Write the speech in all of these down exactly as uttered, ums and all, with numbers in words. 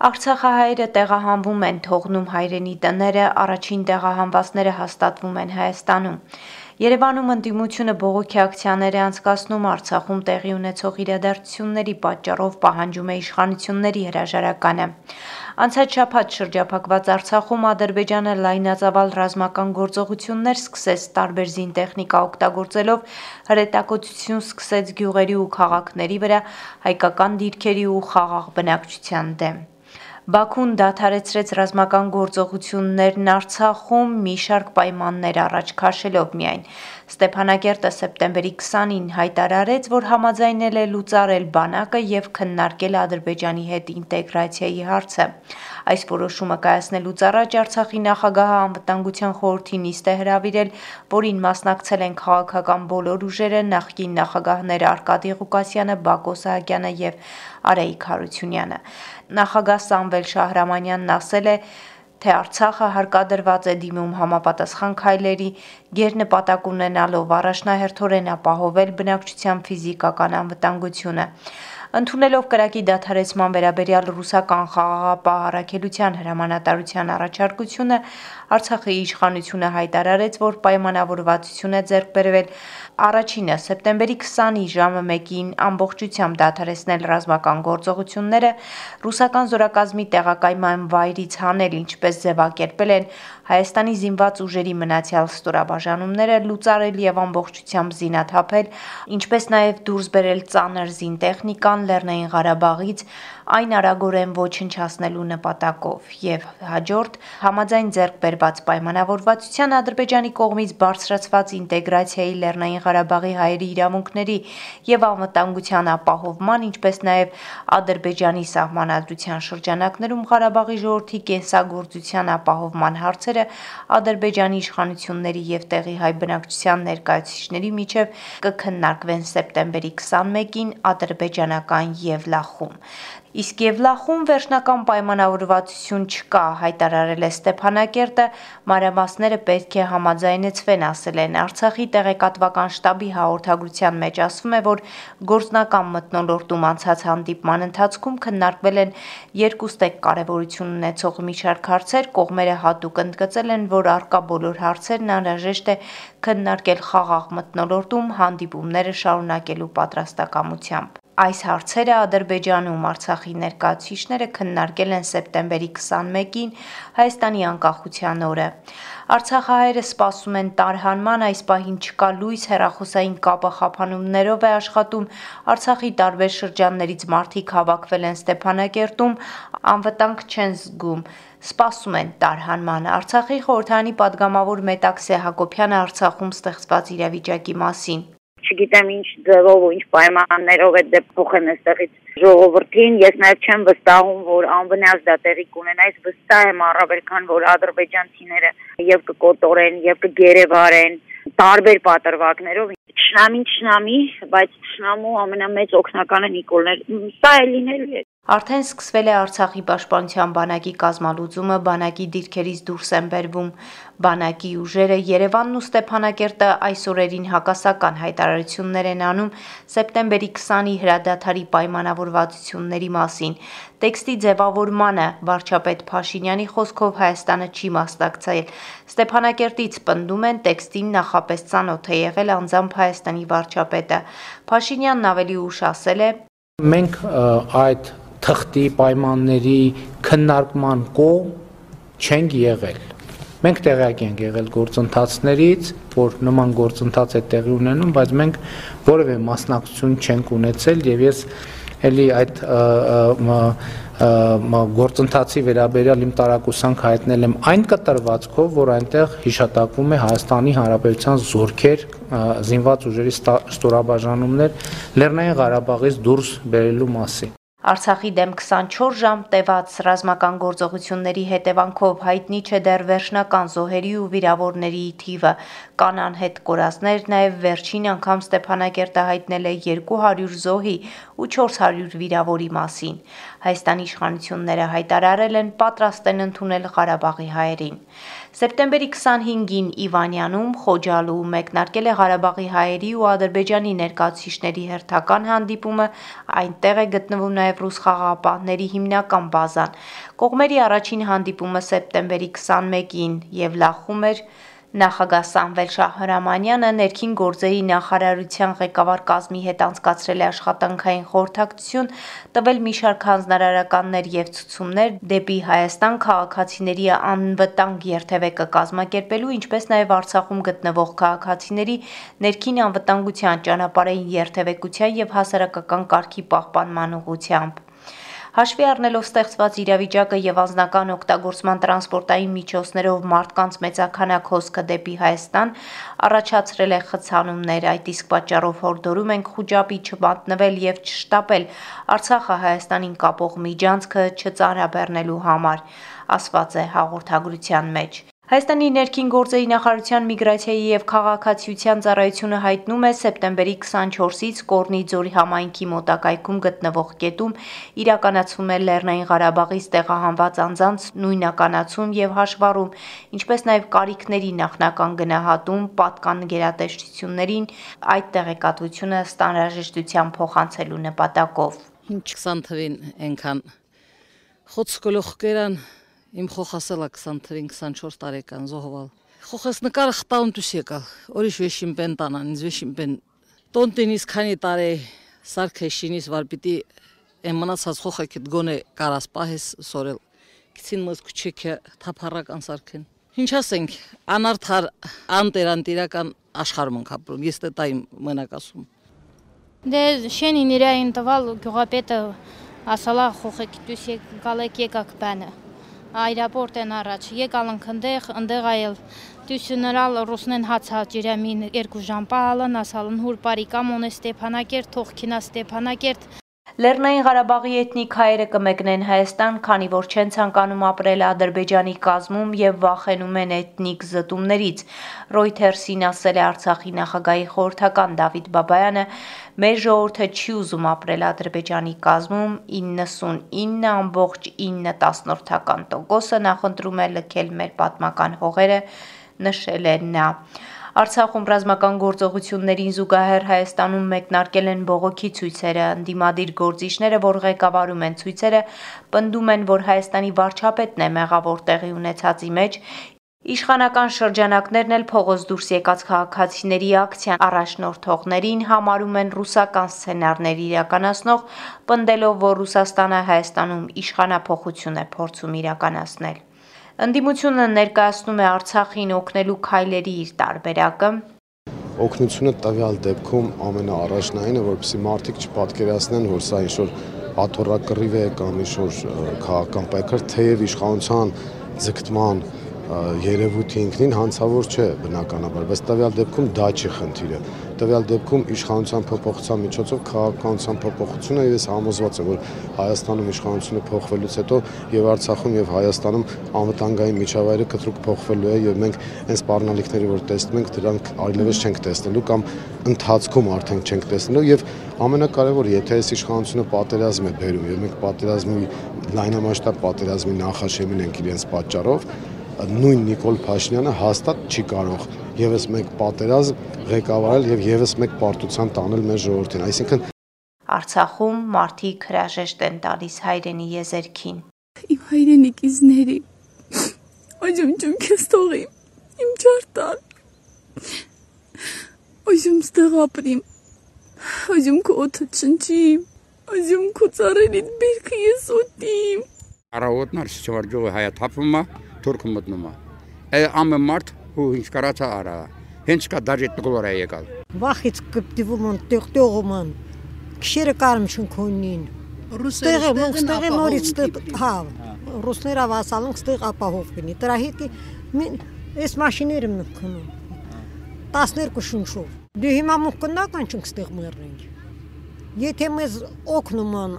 Արցախահայերը տեղահանվում են, թողնում հայրենի տները, առաջին տեղահանվածները հաստատվում են Հայաստանում։ Երևանում ընդդիմությունը բողոքի ակցիաներ է անցկացնում Արցախում տեղի ունեցող իրադարձությունների պատճառով պահանջում է իշխանությունների հրաժարականը։ Անցած շաբաթ շրջափակված Արցախում Ադրբեջանը լայնածավալ ռազմական գործողություններ սկսեց տարբեր զինտեխնիկա օգտագործելով հրետակոծություն սկսեց գյուղերի ու քաղաքների վրա հայկական դիրքերի ու խաղաղ բնակչության դեմ։ Բաքուն դադարեցրեց ռազմական գործողություններն Արցախում մի շարք պայմաններ առաջ քաշելով միայն։ Ստեփանակերտը սեպտեմբերի քսանին հայտարարեց, որ համաձայնել է լուծարել բանակը եւ քննարկել Ադրբեջանի հետ ինտեգրացիայի հարցը։ Այս որոշումը կայացնելուց առաջ Արցախի նախագահը անվտանգության խորհրդի նիստ է հրավիրել, որին մասնակցել են քաղաքական բոլոր ուժերը, նախկին նախագահներ Արկադի Ղուկասյանը, Բակո Սահակյանը եւ Արայիկ Հարությունյանը։ Նախագահ Սամվել Շահրամանյանն ասել է, թե Արցախը հարկադրված է դիմում համապատասխան քայլերի, գերնպատակ ունենալով առաջնահերթորեն ապահովել բնակչության ֆիզիկական անվտանգությունը։ Ընդունելով կրակի դադարեցման վերաբերյալ ռուսական խաղաղապահ առաքելության հրամանատարության առաջարկությունը, Արցախի իշխանությունը հայտարարեց, որ պայմանավորվածություն է ձեռք բերվել առաջինը սեպտեմբերի քսանի ժամը մեկին ամբողջությամբ դադարեցնել ռազմական գործողությունները, ռուսական զորակազմի տեղակայման վայրից հանել, ինչպես ձևակերպել են Հայաստանի զինված ուժերի մնացյալ ստորաբաժանումները, լուծարել եւ ամբողջությամբ զինաթափել, ինչպես նաեւ դուրս բերել ծանր զինտեխնիկան Լեռնային Ղարաբաղից այն արագորեն ոչնչացնելու նպատակով եւ հաջորդ համաձայն ձեռք բերված պայմանավորվածության Ադրբեջանի կողմից բարձրացված ինտեգրացիայի Լեռնային Ղարաբաղի հայերի իրավունքների եւ անվտանգության ապահովման, ինչպես նաեւ Ադրբեջանի սահմանադրության շրջանակներում Ղարաբաղի ժողովրդի կենսագործության ապահովման հարցերը Ադրբեջանի իշխանությունների եւ տեղի հայ բնակչության ներկայացուցիչների միջև կքննարկվեն սեպտեմբերի քսանմեկին ադրբեջանական Եվլախում։ Իսկ Եվլախում վերջնական պայմանավորվածություն չկա, հայտարարել է Ստեփանակերտը, մանրամասները պետք է համաձայնեցվեն, ասել են Արցախի տեղեկատվական շտաբի հաղորդագրության մեջ ասվում է, որ գործնական մթնոլորտում անցած հանդիպման ընթացքում քննարկվել են երկուստեք կարևորություն ունեցող մի շարք հարցեր, կողմերը հատուկ ընդգծել են, որ առկա բոլոր հարցերն անհրաժեշտ է քննարկել խաղաղ մթնոլորտում հանդիպումները շարունակելու պատրաստակամությամբ։ Այս հարցերը Ադրբեջանում Արցախի ներկայացուցիչները քննարկել են սեպտեմբերի քսանմեկին Հայաստանի անկախության օրը։ Արցախահայերը սպասում են տարհանման, այս պահին չկա լույս, հեռախոսային կապը խափանումներով է աշխատում, Արցախի տարբեր շրջաններից մարդիկ հավաքվել են Ստեփանակերտում, անվտանգ չեն զգում, սպասում են տարհանման։ Արցախի խորհրդարանի падգամավոր Մետաքսե Հակոբյանը Արցախում ստեղծված իրավիճակի մասին։ Չգիտեմ ինչ ձևով ու ինչ պայմաններով է դե փոխեն այստեղից ժողովրդին, ես նաև չեմ վստահում, որ անվնաս դա տեղի կունենա, ես վստահ եմ առավել քան որ ադրբեջանցիները եւ կկոտորեն եւ կգերեվարեն տարբեր պատրվակներով, Չնամին չնամի, բայց Չնամու ամենամեծ օգնականը Նիկոլն է, սա է լինելու է։ Արդեն սկսվել է Արցախի պաշտպանության բանակի կազմալուծումը, բանակի դիրքերից դուրս են բերվում բանակի ուժերը, Երևանն ու Ստեփանակերտը այս օրերին հակասական հայտարարություններ են անում սեպտեմբերի քսանի հրադադարի պայմանավորվածությունների մասին։ Տեքստի ձևավորմանը վարչապետ Փաշինյանի խոսքով Հայաստանը չի մասնակցել։ Ստեփանակերտից պնդում են տեքստին նախապես ծանոթ է եղել անձամբ Հայաստանի վարչապետը։ Փաշինյանն ավելի ուշ ասել է. Մենք այդ թղթի պայմանների քննարկման կողմ չենք եղել։ Մենք տեղյակ ենք եղել գործընթացներից, որ նման գործընթաց է տեղի ունենում, բայց մենք որևէ մասնակցություն չենք ունեցել եւ ես էլի այդ գործընթացի վերաբերյալ իմ տարակուսանք հայտնել եմ այն կտրվածքով, որ այնտեղ հիշատակվում է Հայաստանի Հանրապետության զորքեր, զինված ուժերի ստորաբաժանումներ Լեռնային Ղարաբաղից դուրս բերելու մասին։ Արցախի դեմ քսանչորս ժամ տևած ռազմական գործողությունների հետևանքով հայտնի չէ դեռ վերջնական զոհերի ու վիրավորների թիվը, կան անհետ կորածներ, նաև վերջին անգամ Ստեփանակերտը հայտնել է երկու հարյուր զոհի ու չորս հարյուր վիրավորի մասին։ Հայաստանի իշխանությունները հայտարարել են պատրաստ են ընդունել Ղարաբաղի հայերին։ Սեպտեմբերի քսանհինգին Իվանյանում Խոջալու մեկնարկել է Ղարաբաղի հայերի ու Ադրբեջանի ներկայացուցիչների հերթական հանդիպումը, այնտեղ է գտնվում նաև ռուս խաղաղապահների հիմնական բազան։ Կողմերի առաջին հանդիպումը սեպտեմբերի քսանմեկին եւ լախում էր նախագահ Սամվել Շահրամանյանը ներքին գործերի նախարարության ղեկավար կազմի հետ անցկացրել է աշխատանքային խորհրդակցություն, տվել մի շարք հանձնարարականներ եւ ցուցումներ դեպի Հայաստան քաղաքացիների անվտանգ երթևեկը կազմակերպելու, ինչպես նաեւ Արցախում գտնվող քաղաքացիների ներքին անվտանգության, ճանապարհային երթևեկության եւ հասարակական կարգի պահպանման ուղղությամբ։ Հաշվի առնելով ստեղծված իրավիճակը եւ անձնական օգտագործման տրանսպորտային միջոցներով մարդկանց մեծաքանակ հոսքը դեպի Հայաստան, առաջացրել է խցանումներ, այդ իսկ պատճառով հորդորում ենք խուճապի չմատնվել եւ չշտապել Արցախը Հայաստանին կապող միջանցքը չծանրաբեռնելու համար, ասված է հաղորդագրության մեջ։ Հայաստանի ներքին գործերի նախարարության միգրացիայի եւ քաղաքացիության ծառայությունը հայտնում է սեպտեմբերի քսանչորսից Կորնի ձորի համայնքի մոտակայքում գտնվող կետում իրականացվում է Լեռնային Ղարաբաղից տեղահանված անձանց նույնականացում եւ հաշվառում, ինչպես նաեւ կարիքների նախնական գնահատում, պատկան գերատեսչություններին այդ տեղեկատվությունը ստանրաժեշտության փոխանցելու նպատակով։ Ինչ քսան թվին այնքան խոցկոլող կերան Իմ խոխասելա քսան թվին քսանչորս տարեկան զոհվալ։ Խոխես նկարը խտաուն դուս եկալ, օրիշ վեշին պեն տանան, ինձ վեշին պեն։ Տոնտինիս քանի տարե սարքեշինիս վար պիտի եմ մնացած խոխակիտ գոնե կարաս պահես սորել։ Քիցին մզ քուչեքը թափառական սարքեն։ Ինչ ասենք, անարդար անտերանտիրական աշխարհում ենք ապրում, ես դա իմ մենակ ասում։ Դե շենին իրային տվալ գյուղապետը ասալա խոխակիտ դուս եկալեք եկակ բանը։ Այրապորտ են առաջ, եկալ ընքնդեղ, ընդեղ այել, դյուսյնրալ ռուսնեն հացա ջիրամին երկու ժամպալն, ասալն հուր պարիկամ on է Ստեփանակերտ, թողքինա Ստեփանակերտ։ Լեռնային Ղարաբաղի էթնիկ հայերը կմեկնեն Հայաստան, քանի որ չեն ցանկանում ապրել Ադրբեջանի կազմում եւ վախենում են էթնիկ զտումներից։ Reuters-ին ասել է Արցախի նախագահի խորհրդական Դավիթ Բաբայանը, մեր ժողովուրդը չի ուզում ապրել Ադրբեջանի կազմում, իննսունինը ամբողջ ինը տասնորդական տոկոսը նախընտրում է լքել մեր պատմական հողերը, նշել է նա։ Արցախում ռազմական գործողություններին զուգահեռ Հայաստանում մեկնարկել են բողոքի ցույցերը, ընդդիմադիր գործիչները, որ ղեկավարում են ցույցերը, պնդում են, որ Հայաստանի վարչապետն է մեղավոր տեղի ունեցածի մեջ, իշխանական շրջանակներն էլ փողոց դուրս եկած քաղաքացիների ակցիան առաջնորդողներին համարում են ռուսական սցենարներ իրականացնող, պնդելով, որ Ռուսաստանը Հայաստանում իշխանափոխություն է փորձում իրականացնել։ Ընդդիմությունը ներկայացնում է Արցախին օգնելու քայլերի իր տարբերակը։ Օգնությունը տվյալ դեպքում ամենաառաջնայինը, որպեսզի մարդիկ չպատկերացնեն, որ սա ինչ-որ աթոռակռիվ է կամ ինչ-որ քաղաքական պայքար, թեև իշխանության ձգտման երևույթի ինքնին հանցավոր չէ բնականաբար, բայց տվյալ դեպքում դա չի խնդիրը։ Տվյալ դեպքում իշխանության փոփոխության միջոցով քաղաքականության փոփոխությունը, ես համոզված եմ, որ Հայաստանում իշխանությունը փոխվելուց հետո եւ Արցախում եւ Հայաստանում անվտանգային միջավայրը կտրուկ փոխվելու է եւ մենք այն սպառնալիքները, որ տեսնում ենք, դրանք այլևս չենք տեսնելու կամ ընթացքում արդեն չենք տեսնելու եւ ամենակարևորը, եթե այս իշխանությունը պատերազմ է բերում եւ մենք պատերազմի լայնամասշտաբ պատերազմի նախաշեմին ենք իրենց պատճառով, նույն Նիկոլ Փաշինյանը հաստատ չի կարող եւս մեկ պատերազմ ղեկավարել եւ եւս մեկ պարտության տանել մեր ժողովրդին, այսինքն Արցախում մարդիկ հրաժեշտ են տալիս հայրենի եզերքին։ Իմ հայրենիքիզների օջում ջունքես թողի, իմ ջարտան, օջում ստեղ ապրիմ, օջում քո օդը չնչիմ, օջում քո ծառերիդ բերքը ես ուտիմ։ Առավոտն արշիվարջողը հայա թափվում է, թուրքը մտնում է։ Է ամը մարդ ու ինչ կարացա արա, հենց կա դաժե տգլոր է եկալ։ Վախից կպտիվում են, տեղտեղում են, քշերը կարմ չնքոնին։ Ռուսները ստեղ նորից հա, ռուսները վասալում ստեղ ապահով կնի։ Դրա հետ այս մաշիները մնքնում։ տասներկու շունչով։ Դու հիմա մուկնական չենք ստեղ մեռնենք։ Եթե մեզ օգնում են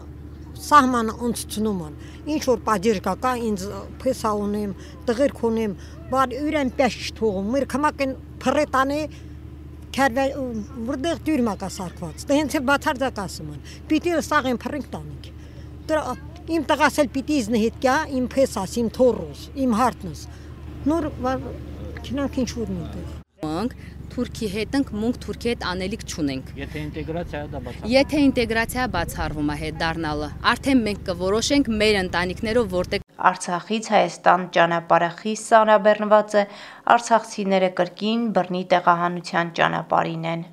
սահմանը ընծնում են, ինչ որ պատիժ կա, ինձ փեսա ունեմ, տղերք ունեմ, բար յուրեն պես չթողում, մեր կմակեն փռետանի քարվե որտեղ դյուրմա կա սարկված։ Դե հենց էլ բացարձակ ասում են։ Պիտի սաղեն փռինք տանենք։ Դրա իմ տղաս էլ պիտի իզնի հետ գա, իմ փեսաս, իմ թորոս, իմ հարտնս։ Նոր քինանք ինչ որ միտեղ։ Մենք Թուրքի հետ ենք, մունք Թուրքի հետ անելիք չունենք։ Եթե ինտեգրացիա դա բացառվում։ Եթե ինտեգրացիա բացառվում է հետ դառնալը, արդեն մենք կորոշենք մեր ընտանիքներով որտեղ Արցախից Հայաստան ճանապարհը խիստ սանրաբեռնված է, արցախցիները կրկին բռնի տեղահանության ճանապարհին են։